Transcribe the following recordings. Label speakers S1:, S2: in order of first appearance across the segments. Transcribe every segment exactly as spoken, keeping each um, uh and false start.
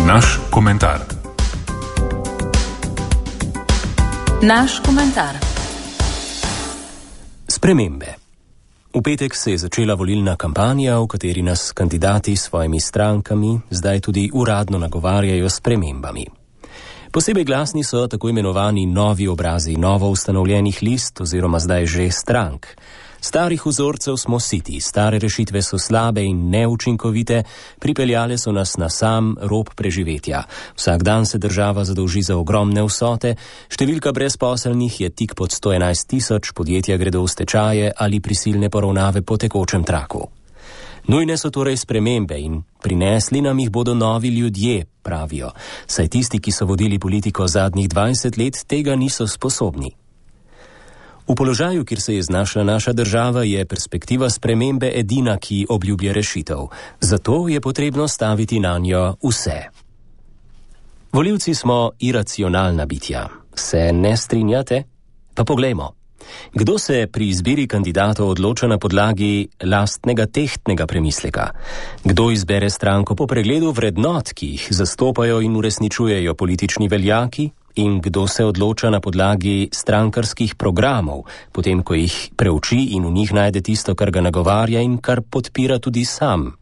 S1: Naš komentar.
S2: Naš komentar.
S3: Spremembe. V petek se je začela volilna kampanja, v kateri nas kandidati s svojimi strankami zdaj tudi uradno nagovarjajo s spremembami. Posebej glasni so tako imenovani novi obrazi novo ustanovljenih list oziroma zdaj že strank. Starih vzorcev smo siti, stare rešitve so slabe in neučinkovite, pripeljale so nas na sam rob preživetja. Vsak dan se država zadolži za ogromne vsote, številka brezposelnih je tik pod sto enajst tisoč, podjetja gredo v stečaje ali prisilne poravnave po tekočem traku. Nujne so torej spremembe in prinesli nam jih bodo novi ljudje, pravijo, saj tisti, ki so vodili politiko zadnjih dvajset let, tega niso sposobni. V položaju, kjer se je znašla naša država, je perspektiva spremembe edina, ki obljublja rešitev. Zato je potrebno staviti nanjo vse. Volivci smo iracionalna bitja. Se ne strinjate? Pa poglejmo. Kdo se pri izbiri kandidatov odloča na podlagi lastnega tehtnega premisleka? Kdo izbere stranko po pregledu vrednot, ki jih zastopajo in uresničujejo politični veljaki? In kdo se odloča na podlagi strankarskih programov, potem ko jih preuči in v njih najde tisto, kar ga nagovarja in kar podpira tudi sam?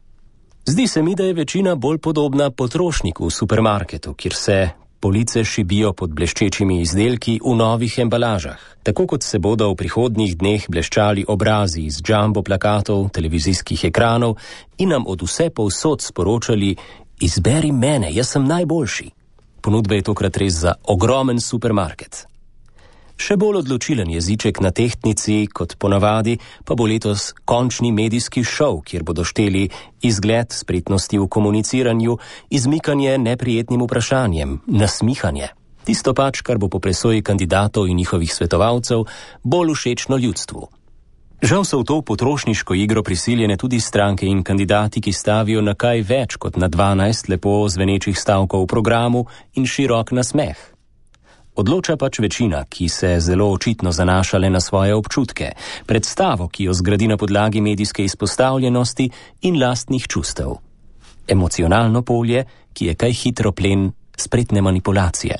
S3: Zdi se mi, da je večina bolj podobna potrošniku v supermarketu, kjer se police šibijo pod bleščečimi izdelki v novih embalažah. Tako kot se bodo v prihodnjih dneh bleščali obrazi iz jumbo plakatov, televizijskih ekranov in nam od vse povsod sporočali: izberi mene, jaz sem najboljši. Ponudba je tokrat res za ogromen supermarket. Še bolj odločilen jeziček na tehtnici kot ponavadi pa bo letos končni medijski šov, kjer bodo šteli izgled, spretnosti v komuniciranju, izmikanje neprijetnim vprašanjem, nasmihanje. Tisto pač, kar bo po presoji kandidatov in njihovih svetovalcev bolj všečno ljudstvu. Žal so v to potrošniško igro prisiljene tudi stranke in kandidati, ki stavijo na kaj več kot na dvanajst lepo zvenečih stavkov v programu in širok nasmeh. Odloča pač večina, ki se zelo očitno zanaša le na svoje občutke, predstavo, ki jo zgradi na podlagi medijske izpostavljenosti in lastnih čustev. Emocionalno polje, ki je kaj hitro plen spretne manipulacije.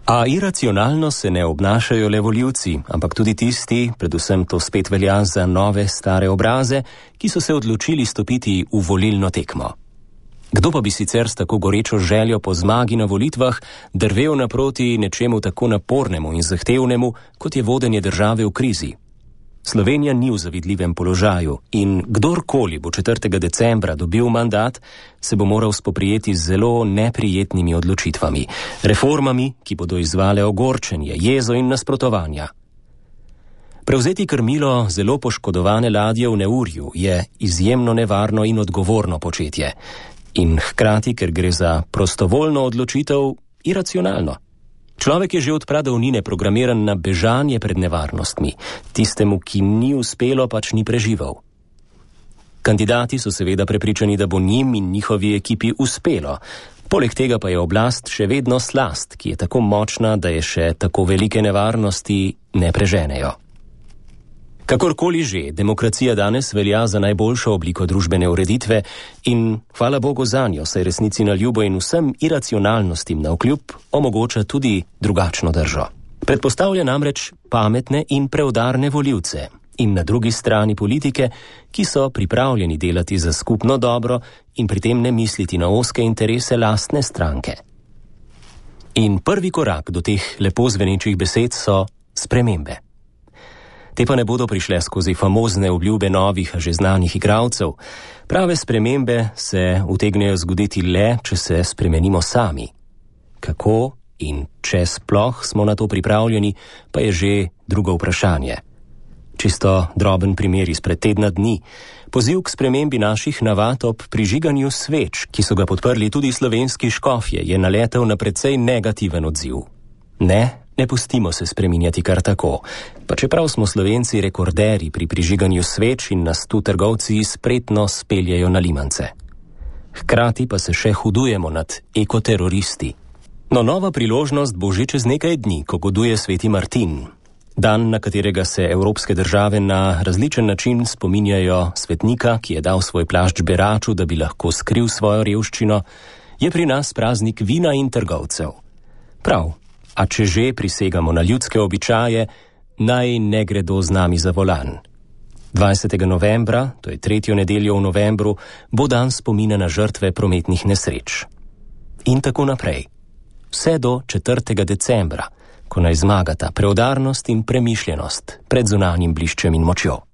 S3: A iracionalno se ne obnašajo le volivci, ampak tudi tisti, predvsem to spet velja za nove stare obraze, ki so se odločili stopiti v volilno tekmo. Kdo pa bi sicer s tako gorečo željo po zmagi na volitvah drvel naproti nečemu tako napornemu in zahtevnemu, kot je vodenje države v krizi? Slovenija ni v zavidljivem položaju in kdorkoli bo četrtega decembra dobil mandat, se bo moral spoprijeti z zelo neprijetnimi odločitvami, reformami, ki bodo izvale ogorčenje, jezo in nasprotovanja. Prevzeti krmilo zelo poškodovane ladje v neurju je izjemno nevarno in odgovorno početje. In hkrati, ker gre za prostovoljno odločitev, iracionalno. Človek je že od pradavnine programiran na bežanje pred nevarnostmi, tistemu, ki ni uspelo, pač ni preživel. Kandidati so seveda prepričani, da bo njim in njihovi ekipi uspelo. Poleg tega pa je oblast še vedno slast, ki je tako močna, da je še tako velike nevarnosti ne preženejo. Kakorkoli že, demokracija danes velja za najboljšo obliko družbene ureditve in hvala Bogu zanjo, saj resnici na ljubo in vsem iracionalnostim navkljub omogoča tudi drugačno držo. Predpostavlja namreč pametne in preudarne volivce in na drugi strani politike, ki so pripravljeni delati za skupno dobro in pri tem ne misliti na ozke interese lastne stranke. In prvi korak do teh lepo zvenečih besed so spremembe. Te pa ne bodo prišle skozi famozne obljube novih, a že znanih igralcev. Prave spremembe se utegnejo zgoditi le, če se spremenimo sami. Kako in če sploh smo na to pripravljeni, pa je že drugo vprašanje. Čisto droben primer izpred tedna dni. Poziv k spremembi naših navad ob prižiganju sveč, ki so ga podprli tudi slovenski škofje, je naletel na precej negativen odziv. Ne, ne pustimo se spreminjati kar tako. Pa čeprav smo Slovenci rekorderji pri prižiganju sveč in nas tu trgovci spretno speljajo na limance. Hkrati pa se še hudujemo nad ekoteroristi. No, nova priložnost bo že čez nekaj dni, ko goduje sveti Martin. Dan, na katerega se evropske države na različen način spominjajo svetnika, ki je dal svoj plašč beraču, da bi lahko skril svojo revščino, je pri nas praznik vina in trgovcev. Prav, a če že prisegamo na ljudske običaje, naj ne gredo z nami za volan. dvajsetega novembra, to je tretjo nedeljo v novembru, bo dan spomina na žrtve prometnih nesreč. In tako naprej. Vse do četrtega decembra, ko naj zmagata preudarnost in premišljenost pred zunanjim bliščem in močjo.